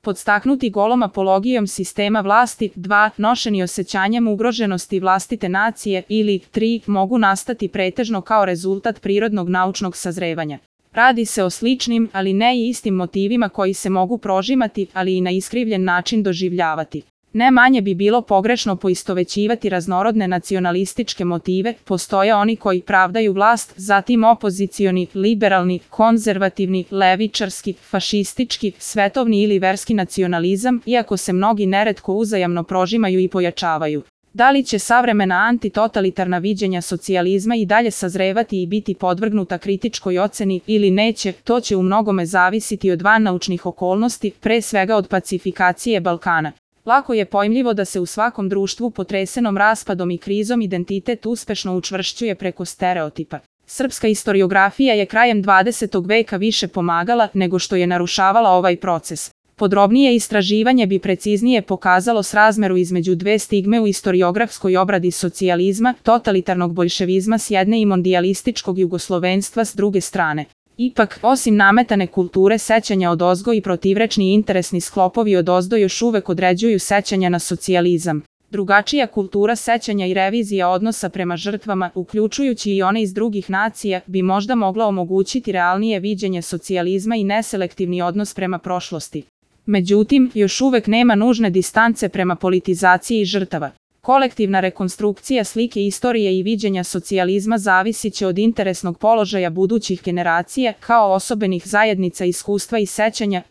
Podstaknuti golom apologijom sistema vlasti, 2. Nošeni osjećanjem ugroženosti vlastite nacije ili 3. mogu nastati pretežno kao rezultat prirodnog naučnog sazrevanja. Radi se o sličnim, ali ne i istim motivima koji se mogu prožimati, ali i na iskrivljen način doživljavati. Ne manje bi bilo pogrešno poistovećivati raznorodne nacionalističke motive, postoje oni koji pravdaju vlast, zatim opozicioni, liberalni, konzervativni, levičarski, fašistički, svetovni ili verski nacionalizam, iako se mnogi neretko uzajamno prožimaju i pojačavaju. Da li će savremena antitotalitarna viđenja socijalizma i dalje sazrevati i biti podvrgnuta kritičkoj oceni ili neće, to će u mnogome zavisiti od vannaučnih okolnosti, pre svega od pacifikacije Balkana. Lako je pojmljivo da se u svakom društvu potresenom raspadom i krizom identitet uspešno učvršćuje preko stereotipa. Srpska istoriografija je krajem 20. veka više pomagala nego što je narušavala ovaj proces. Podrobnije istraživanje bi preciznije pokazalo srazmeru između dve stigme u istoriografskoj obradi socijalizma, totalitarnog boljševizma s jedne i mondijalističkog jugoslovenstva s druge strane. Ipak, osim nametane kulture sećanja odozgo i protivrečni interesni sklopovi odozdo još uvek određuju sećanja na socijalizam. Drugačija kultura sećanja i revizija odnosa prema žrtvama, uključujući i one iz drugih nacija, bi možda mogla omogućiti realnije viđenje socijalizma i neselektivni odnos prema prošlosti. Međutim, još uvek nema nužne distance prema politizaciji žrtava. Kolektivna rekonstrukcija slike istorije i viđenja socijalizma zavisit će od interesnog položaja budućih generacija kao osobenih zajednica iskustva i sećanja,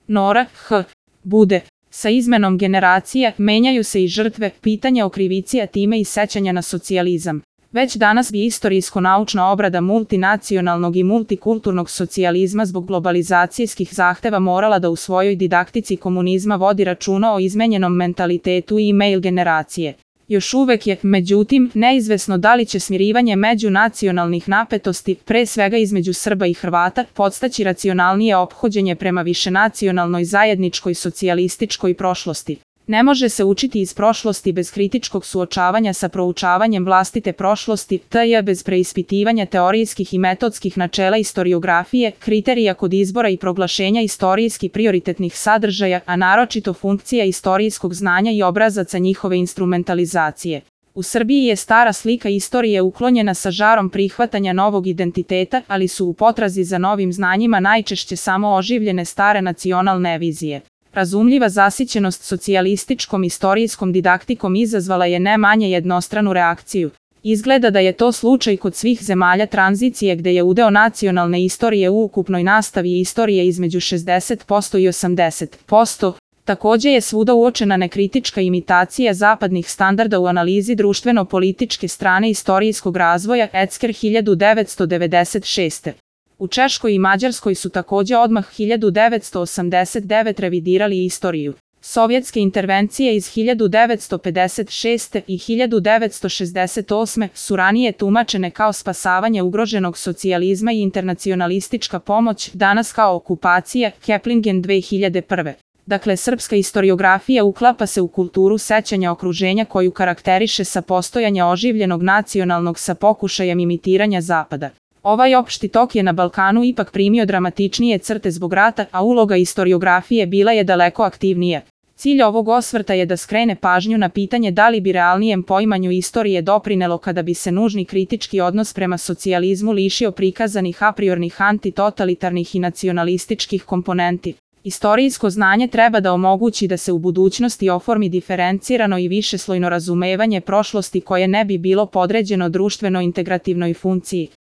Nora, Bude. Sa izmenom generacija menjaju se i žrtve, pitanja o krivici, a time i sećanja na socijalizam. Već danas bi istorijsko-naučna obrada multinacionalnog i multikulturnog socijalizma zbog globalizacijskih zahteva morala da u svojoj didaktici komunizma vodi računa o izmenjenom mentalitetu i e-mail generacije. Još uvek je, međutim, neizvesno da li će smirivanje međunacionalnih napetosti, pre svega između Srba i Hrvata, podstaći racionalnije ophođenje prema višenacionalnoj zajedničkoj socijalističkoj prošlosti. Ne može se učiti iz prošlosti bez kritičkog suočavanja sa proučavanjem vlastite prošlosti, t.j. bez preispitivanja teorijskih i metodskih načela istoriografije, kriterija kod izbora i proglašenja istorijski prioritetnih sadržaja, a naročito funkcija istorijskog znanja i obrazaca njihove instrumentalizacije. U Srbiji je stara slika istorije uklonjena sa žarom prihvatanja novog identiteta, ali su u potrazi za novim znanjima najčešće samo oživljene stare nacionalne vizije. Razumljiva zasićenost socijalističkom istorijskom didaktikom izazvala je ne manje jednostranu reakciju. Izgleda da je to slučaj kod svih zemalja tranzicije gde je udeo nacionalne istorije u ukupnoj nastavi istorije između 60% i 80%. Takođe je svuda uočena nekritička imitacija zapadnih standarda u analizi društveno-političke strane istorijskog razvoja Ecker 1996. U Češkoj i Mađarskoj su takođe odmah 1989 revidirali istoriju. Sovjetske intervencije iz 1956. i 1968. su ranije tumačene kao spasavanje ugroženog socijalizma i internacionalistička pomoć, danas kao okupacija, Keplingen 2001. Dakle, srpska istoriografija uklapa se u kulturu sećanja okruženja koju karakteriše sa postojanja oživljenog nacionalnog sa pokušajem imitiranja Zapada. Ovaj opšti tok je na Balkanu ipak primio dramatičnije crte zbog rata, a uloga istoriografije bila je daleko aktivnija. Cilj ovog osvrta je da skrene pažnju na pitanje da li bi realnijem poimanju istorije doprinelo kada bi se nužni kritički odnos prema socijalizmu lišio prikazanih apriornih antitotalitarnih i nacionalističkih komponenti. Istorijsko znanje treba da omogući da se u budućnosti oformi diferencirano i višeslojno razumevanje prošlosti koje ne bi bilo podređeno društveno integrativnoj funkciji.